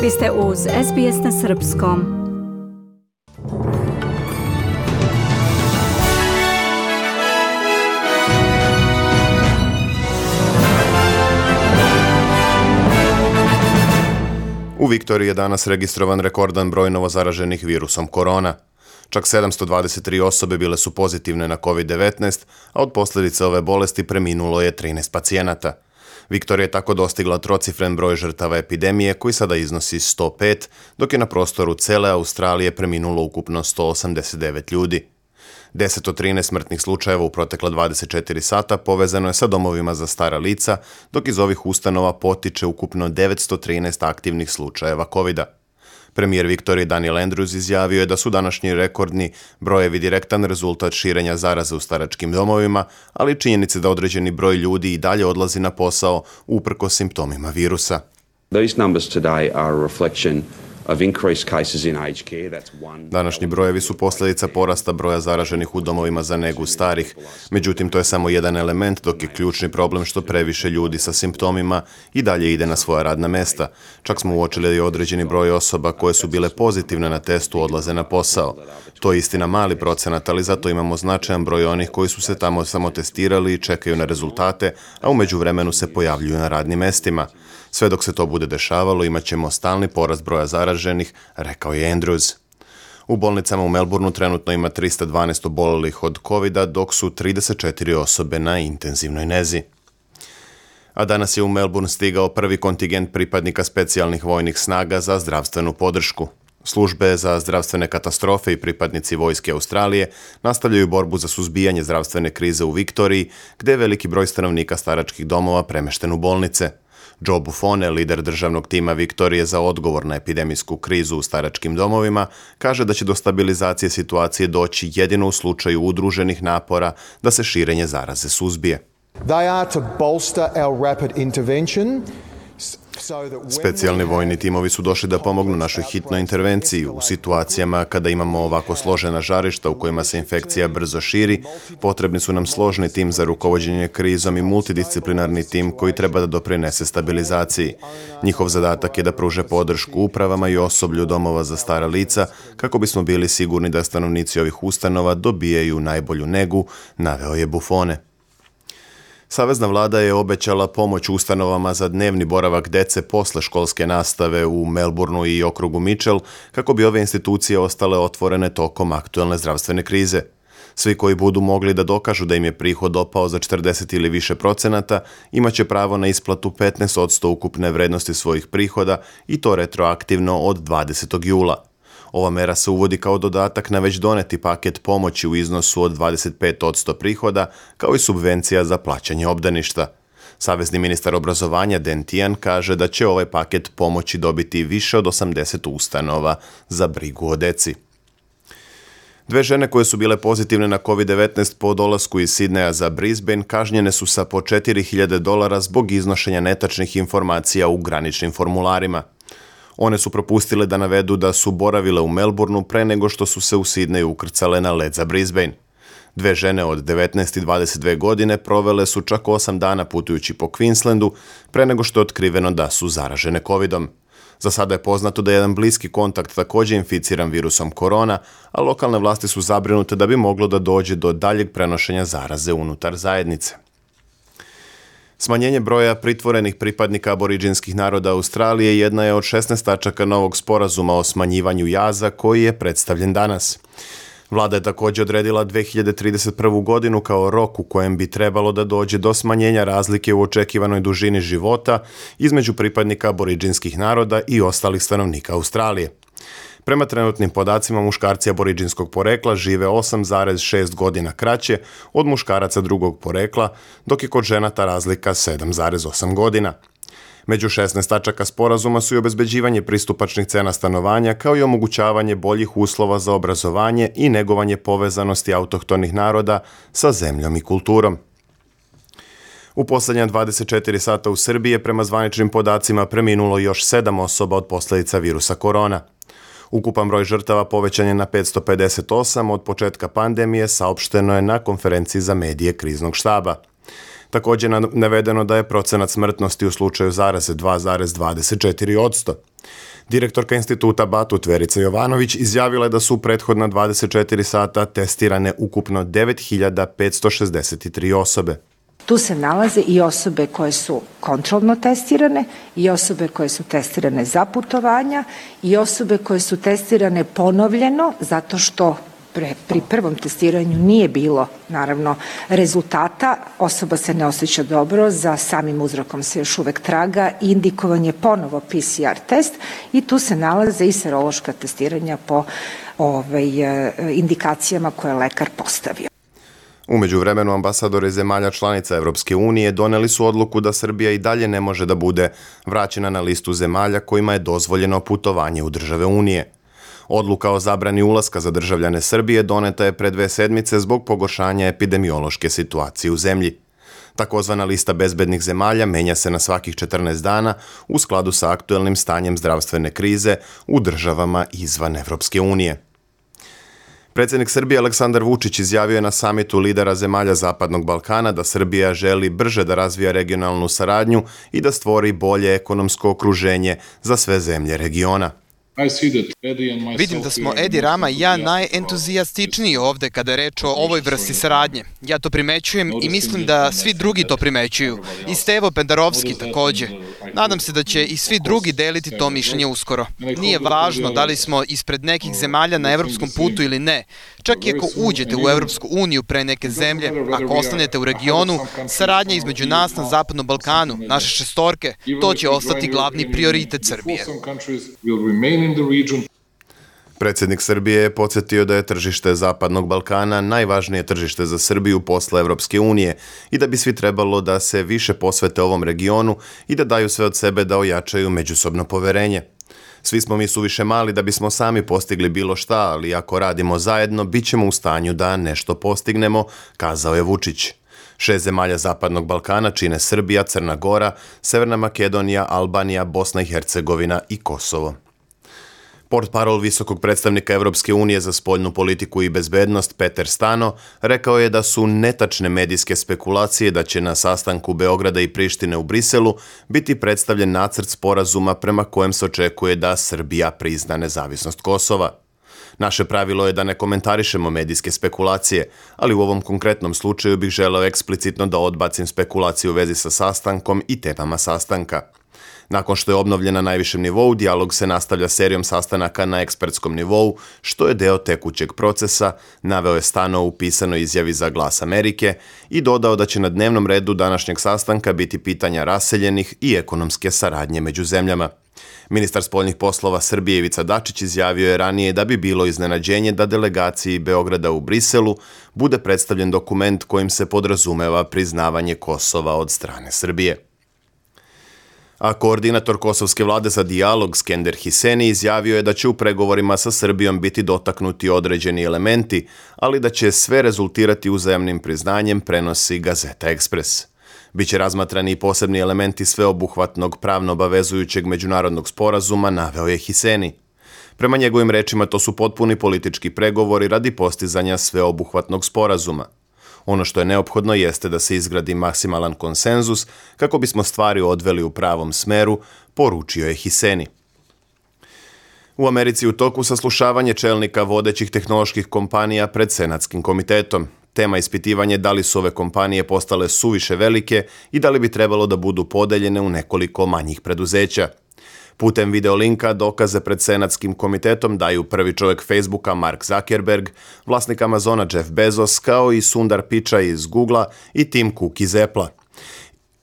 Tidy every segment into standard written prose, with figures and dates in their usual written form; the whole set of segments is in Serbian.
Vi ste uz SBS na srpskom. U Viktoriji je danas registrovan rekordan broj novozaraženih virusom korona. Čak 723 osobe bile su pozitivne na COVID-19, a od posljedica ove bolesti preminulo je 13 pacijenata. Viktorija je tako dostigla trocifren broj žrtava epidemije koji sada iznosi 105, dok je na prostoru cele Australije preminulo ukupno 189 ljudi. 10 od 13 smrtnih slučajeva u protekla 24 sata povezano je sa domovima za stara lica, dok iz ovih ustanova potiče ukupno 913 aktivnih slučajeva COVID-a. Premijer Viktorije Daniel Andrews izjavio je da su današnji rekordni brojevi direktan rezultat širenja zaraze u staračkim domovima, ali činjenice da određeni broj ljudi i dalje odlazi na posao uprkos simptomima virusa. These numbers today are a reflection of increased cases in aged care. Današnji brojevi su posljedica porasta broja zaraženih u domovima za negu starih. Međutim, to je samo jedan element, dok je ključni problem što previše ljudi sa simptomima i dalje ide na svoja radna mesta. Čak smo uočili da je određeni broj osoba koje su bile pozitivne na testu odlaze na posao. To je istina mali procenat, ali zato imamo značajan broj onih koji su se tamo samo testirali i čekaju na rezultate, a u međuvremenu se pojavljuju na radnim mestima. Sve dok se to bude dešavalo, imat ćemo stalni porast broja zaraženih, rekao je Andrews. U bolnicama u Melbourneu trenutno ima 312 obolelih od COVID-a, dok su 34 osobe na intenzivnoj nezi. A danas je u Melbourne stigao prvi kontingent pripadnika specijalnih vojnih snaga za zdravstvenu podršku. Službe za zdravstvene katastrofe i pripadnici vojske Australije nastavljaju borbu za suzbijanje zdravstvene krize u Viktoriji, gdje je veliki broj stanovnika staračkih domova premešten u bolnice. Joe Buffone, lider državnog tima Viktorije za odgovor na epidemijsku krizu u staračkim domovima, kaže da će do stabilizacije situacije doći jedino u slučaju udruženih napora da se širenje zaraze suzbije. They are to bolster our rapid intervention. Specijalni vojni timovi su došli da pomognu našoj hitnoj intervenciji u situacijama kada imamo ovako složena žarišta u kojima se infekcija brzo širi. Potrebni su nam složni tim za rukovođenje krizom i multidisciplinarni tim koji treba da doprinese stabilizaciji. Njihov zadatak je da pruže podršku upravama i osoblju domova za stara lica kako bismo bili sigurni da stanovnici ovih ustanova dobijaju najbolju negu, naveo je Buffone. Savezna vlada je obećala pomoć ustanovama za dnevni boravak dece posle školske nastave u Melbourneu i okrugu Mitchell kako bi ove institucije ostale otvorene tokom aktuelne zdravstvene krize. Svi koji budu mogli da dokažu da im je prihod opao za 40 ili više procenata imaće pravo na isplatu 15% ukupne vrednosti svojih prihoda i to retroaktivno od 20. jula. Ova mera se uvodi kao dodatak na već doneti paket pomoći u iznosu od 25% prihoda, kao i subvencija za plaćanje obdaništa. Savezni ministar obrazovanja Dan Tehan kaže da će ovaj paket pomoći dobiti više od 80 ustanova za brigu o deci. Dve žene koje su bile pozitivne na COVID-19 po dolasku iz Sidneja za Brisbane kažnjene su sa po $4.000 zbog iznošenja netačnih informacija u graničnim formularima. One su propustile da navedu da su boravile u Melbourneu pre nego što su se u Sidneju ukrcale na let za Brisbane. Dve žene od 19 i 22 godine provele su čak 8 dana putujući po Queenslandu pre nego što je otkriveno da su zaražene COVID-om. Za sada je poznato da je jedan bliski kontakt također inficiran virusom korona, a lokalne vlasti su zabrinute da bi moglo da dođe do daljeg prenošenja zaraze unutar zajednice. Smanjenje broja pritvorenih pripadnika aboriđinskih naroda Australije jedna je od 16 tačaka novog sporazuma o smanjivanju jaza koji je predstavljen danas. Vlada je također odredila 2031. godinu kao rok u kojem bi trebalo da dođe do smanjenja razlike u očekivanoj dužini života između pripadnika aboriđinskih naroda i ostalih stanovnika Australije. Prema trenutnim podacima, muškarci aboriđinskog porekla žive 8,6 godina kraće od muškaraca drugog porekla, dok je kod žena ta razlika 7,8 godina. Među 16 tačaka sporazuma su i obezbeđivanje pristupačnih cena stanovanja, kao i omogućavanje boljih uslova za obrazovanje i negovanje povezanosti autohtonih naroda sa zemljom i kulturom. U posljednja 24 sata u Srbiji je prema zvaničnim podacima preminulo još 7 osoba od posljedica virusa korona. Ukupan broj žrtava povećan je na 558 od početka pandemije, saopšteno je na konferenciji za medije kriznog štaba. Također je navedeno da je procenat smrtnosti u slučaju zaraze 2,24%. Direktorka instituta Batut Verica Jovanović izjavila je da su u prethodna 24 sata testirane ukupno 9.563 osobe. Tu se nalaze i osobe koje su kontrolno testirane, i osobe koje su testirane za putovanja, i osobe koje su testirane ponovljeno zato što pri prvom testiranju nije bilo, naravno, rezultata, osoba se ne osjeća dobro, za samim uzrokom se još uvek traga, indikovan je ponovo PCR test i tu se nalaze i serološka testiranja po indikacijama koje je lekar postavio. U međuvremenu ambasadori zemalja članica Evropske unije doneli su odluku da Srbija i dalje ne može da bude vraćena na listu zemalja kojima je dozvoljeno putovanje u države Unije. Odluka o zabrani ulaska za državljane Srbije doneta je pre 2 sedmice zbog pogoršanja epidemiološke situacije u zemlji. Takozvana lista bezbednih zemalja menja se na svakih 14 dana u skladu sa aktuelnim stanjem zdravstvene krize u državama izvan Evropske unije. Predsjednik Srbije Aleksandar Vučić izjavio je na samitu lidera zemalja Zapadnog Balkana da Srbija želi brže da razvija regionalnu saradnju i da stvori bolje ekonomsko okruženje za sve zemlje regiona. Vidim da smo Edi Rama i ja najentuzijastičniji ovde kada je reč o ovoj vrsti saradnje. Ja to primećujem i mislim da svi drugi to primećuju. I Stevo Pendarovski takođe. Nadam se da će i svi drugi deliti to mišljenje uskoro. Nije važno da li smo ispred nekih zemalja na evropskom putu ili ne. Čak i ako uđete u Evropsku uniju pre neke zemlje, ako ostanete u regionu, saradnja između nas na Zapadnom Balkanu, naše šestorke, to će ostati glavni prioritet Srbije. Predsjednik Srbije je podsjetio da je tržište Zapadnog Balkana najvažnije tržište za Srbiju posle Evropske unije i da bi svi trebalo da se više posvete ovom regionu i da daju sve od sebe da ojačaju međusobno poverenje. Svi smo mi suviše mali da bismo sami postigli bilo šta, ali ako radimo zajedno, bit ćemo u stanju da nešto postignemo, kazao je Vučić. 6 zemalja Zapadnog Balkana čine Srbija, Crna Gora, Severna Makedonija, Albanija, Bosna i Hercegovina i Kosovo. Portparol visokog predstavnika Evropske unije za spoljnu politiku i bezbednost Peter Stano rekao je da su netačne medijske spekulacije da će na sastanku Beograda i Prištine u Briselu biti predstavljen nacrt sporazuma prema kojem se očekuje da Srbija prizna nezavisnost Kosova. Naše pravilo je da ne komentarišemo medijske spekulacije, ali u ovom konkretnom slučaju bih želeo eksplicitno da odbacim spekulacije u vezi sa sastankom i temama sastanka. Nakon što je obnovljen na najvišem nivou, dijalog se nastavlja serijom sastanaka na ekspertskom nivou, što je deo tekućeg procesa, naveo je Stano u pisanoj izjavi za Glas Amerike i dodao da će na dnevnom redu današnjeg sastanka biti pitanja raseljenih i ekonomske saradnje među zemljama. Ministar spoljnih poslova Srbije Ivica Dačić izjavio je ranije da bi bilo iznenađenje da delegaciji Beograda u Briselu bude predstavljen dokument kojim se podrazumeva priznavanje Kosova od strane Srbije. A koordinator kosovske vlade za dijalog Skender Hiseni izjavio je da će u pregovorima sa Srbijom biti dotaknuti određeni elementi, ali da će sve rezultirati uzajamnim priznanjem, prenosi Gazeta Ekspres. Biće razmatrani i posebni elementi sveobuhvatnog pravno obavezujućeg međunarodnog sporazuma, naveo je Hiseni. Prema njegovim rečima to su potpuni politički pregovori radi postizanja sveobuhvatnog sporazuma. Ono što je neophodno jeste da se izgradi maksimalan konsenzus kako bismo stvari odveli u pravom smeru, poručio je Hiseni. U Americi u toku saslušavanje čelnika vodećih tehnoloških kompanija pred Senatskim komitetom. Tema ispitivanje da li su ove kompanije postale suviše velike i da li bi trebalo da budu podeljene u nekoliko manjih preduzeća. Putem videolinka dokaze pred Senatskim komitetom daju prvi čovjek Facebooka Mark Zuckerberg, vlasnik Amazona Jeff Bezos, kao i Sundar Pichai iz Googlea i Tim Cook iz Applea.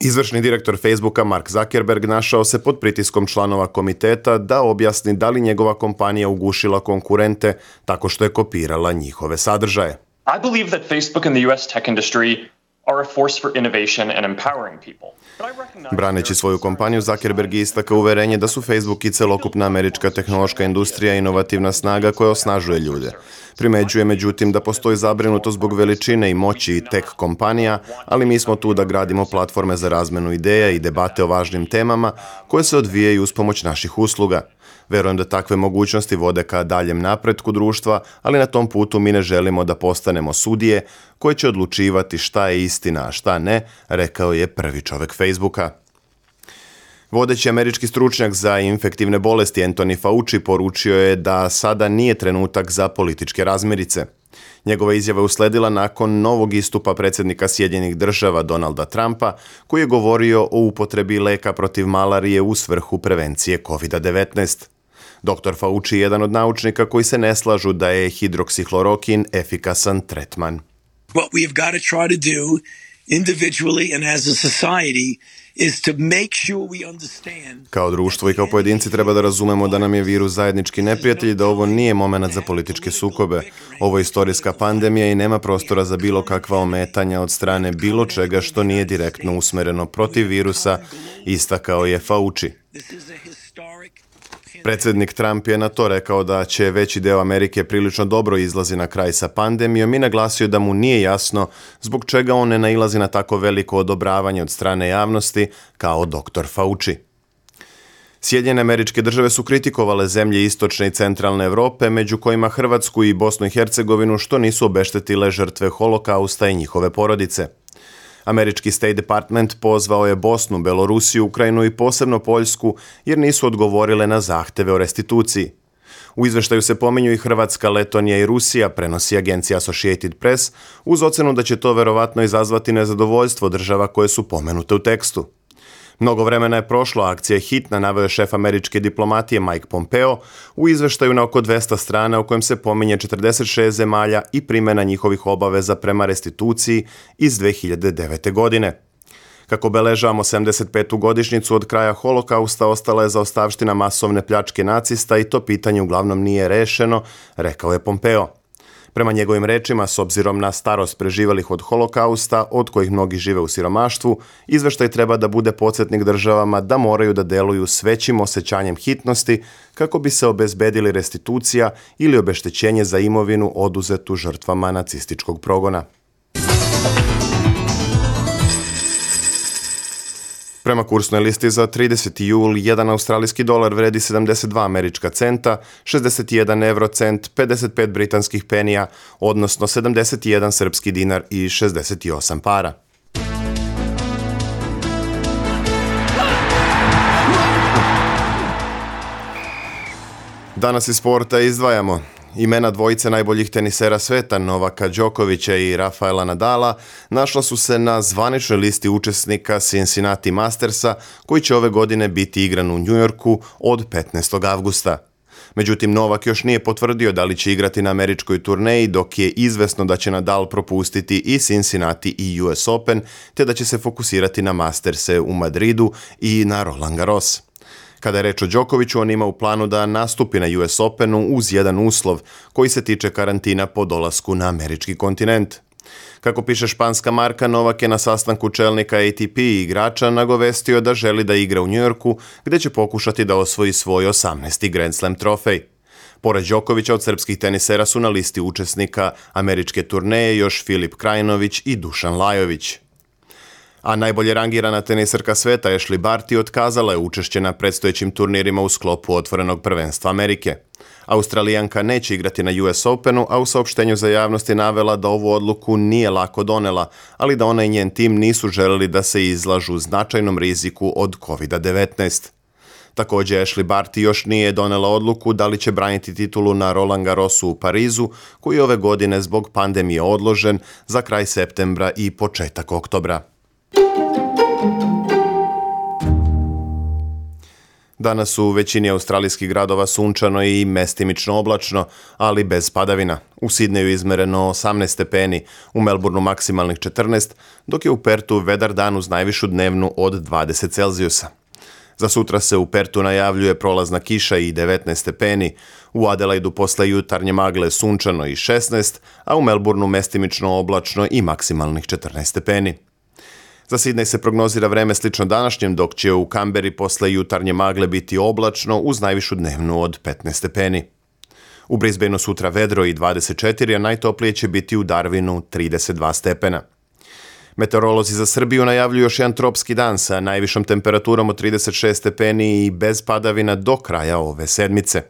Izvršni direktor Facebooka Mark Zuckerberg našao se pod pritiskom članova komiteta da objasni da li njegova kompanija ugušila konkurente tako što je kopirala njihove sadržaje. I believe that Facebook and the US tech industry are a force for innovation and empowering people. Braneći svoju kompaniju, Zuckerberg je istakao uverenje da su Facebook i celokupna američka tehnološka industrija inovativna snaga koja osnažuje ljude. Primeđuje međutim da postoji zabrinutost zbog veličine i moći tech kompanija, ali mi smo tu da gradimo platforme za razmenu ideja i debate o važnim temama koje se odvijaju uz pomoć naših usluga. Verujem da takve mogućnosti vode ka daljem napretku društva, ali na tom putu mi ne želimo da postanemo sudije koje će odlučivati šta je istina, a šta ne, rekao je prvi čovek Facebooka. Vodeći američki stručnjak za infektivne bolesti Anthony Fauci poručio je da sada nije trenutak za političke razmirice. Njegova izjava je usledila nakon novog istupa predsjednika Sjedinjenih Država Donalda Trumpa, koji je govorio o upotrebi leka protiv malarije u svrhu prevencije COVID-19. Dr. Fauci je jedan od naučnika koji se ne slažu da je hidroksihlorokin efikasan tretman. What we have got to try to do individually and as a society is to make sure we understand. Kao društvo i kao pojedinci treba da razumemo da nam je virus zajednički neprijatelj i da ovo nije momenat za političke sukobe. Ovo je istorijska pandemija i nema prostora za bilo kakva ometanja od strane bilo čega što nije direktno usmereno protiv virusa, istakao je Fauci. Predsjednik Trump je na to rekao da će veći deo Amerike prilično dobro izlazi na kraj sa pandemijom i naglasio da mu nije jasno zbog čega on ne nailazi na tako veliko odobravanje od strane javnosti kao dr. Fauci. Sjedinjene Američke Države su kritikovale zemlje istočne i centralne Evrope, među kojima Hrvatsku i Bosnu i Hercegovinu, što nisu obeštetile žrtve holokausta i njihove porodice. Američki State Department pozvao je Bosnu, Belorusiju, Ukrajinu i posebno Poljsku jer nisu odgovorile na zahteve o restituciji. U izveštaju se pominju i Hrvatska, Letonija i Rusija, prenosi agencija Associated Press, uz ocenu da će to verovatno izazvati nezadovoljstvo država koje su pomenute u tekstu. Mnogo vremena je prošlo, akcija je hitna, naveo je šef američke diplomatije Mike Pompeo u izveštaju na oko 200 strana u kojem se pominje 46 zemalja i primjena njihovih obaveza prema restituciji iz 2009. godine. Kako beležavamo 75. godišnjicu od kraja holokausta, ostala je zaostavština masovne pljačke nacista i to pitanje uglavnom nije rešeno, rekao je Pompeo. Prema njegovim rečima, s obzirom na starost preživelih od holokausta, od kojih mnogi žive u siromaštvu, izveštaj treba da bude podsjetnik državama da moraju da deluju s većim osjećanjem hitnosti kako bi se obezbedili restitucija ili obeštećenje za imovinu oduzetu žrtvama nacističkog progona. Prema kursnoj listi za 30. jul, 1 australijski dolar vredi 72 američka centa, 61 eurocent, 55 britanskih penija, odnosno 71 srpski dinar i 68 para. Danas iz sporta izdvajamo imena dvojice najboljih tenisera sveta, Novaka Đokovića i Rafaela Nadala, našla su se na zvaničnoj listi učesnika Cincinnati Mastersa, koji će ove godine biti igran u Njujorku od 15. avgusta. Međutim, Novak još nije potvrdio da li će igrati na američkoj turneji, dok je izvesno da će Nadal propustiti i Cincinnati i US Open, te da će se fokusirati na Masterse u Madridu i na Roland Garros. Kada je reč o Đokoviću, on ima u planu da nastupi na US Openu uz jedan uslov koji se tiče karantina po dolasku na američki kontinent. Kako piše španska marka, Novak je na sastanku čelnika ATP i igrača nagovestio da želi da igra u Njujorku, gde će pokušati da osvoji svoj 18. Grand Slam trofej. Pored Đokovića, od srpskih tenisera su na listi učesnika američke turneje još Filip Krajinović i Dušan Lajović. A najbolje rangirana teniserka sveta Ashley Barty otkazala je učešće na predstojećim turnirima u sklopu otvorenog prvenstva Amerike. Australijanka neće igrati na US Openu, a u saopštenju za javnost je navela da ovu odluku nije lako donela, ali da ona i njen tim nisu želeli da se izlažu značajnom riziku od COVID-19. Također, Ashley Barty još nije donela odluku da li će braniti titulu na Roland Garrosu u Parizu, koji je ove godine zbog pandemije odložen za kraj septembra i početak oktobra. Danas u većini australijskih gradova sunčano i mestimično oblačno, ali bez padavina. U Sidneju izmereno 18 stepeni, u Melbourneu maksimalnih 14, dok je u Pertu vedar dan uz najvišu dnevnu od 20 Celzijusa. Za sutra se u Pertu najavljuje prolazna kiša i 19 stepeni, u Adelaidu posle jutarnje magle sunčano i 16, a u Melbourneu mestimično oblačno i maksimalnih 14 stepeni. Za Sidnej se prognozira vreme slično današnjem, dok će u Kamberi posle jutarnje magle biti oblačno uz najvišu dnevnu od 15 stepeni. U Brisbaneu sutra vedro i 24, a najtoplije će biti u Darwinu 32 stepena. Meteorolozi za Srbiju najavljuju još jedan tropski dan sa najvišom temperaturom od 36 stepeni i bez padavina do kraja ove sedmice.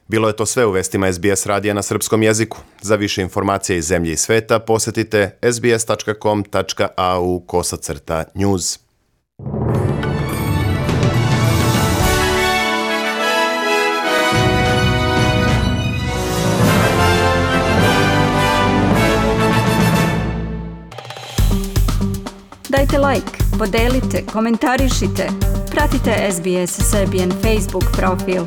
Bilo je to sve u vestima SBS radija na srpskom jeziku. Za više informacija iz zemlje i sveta posetite sbs.com.au/news. Dajte like, podelite, komentarišite. Pratite SBS Serbian Facebook profil.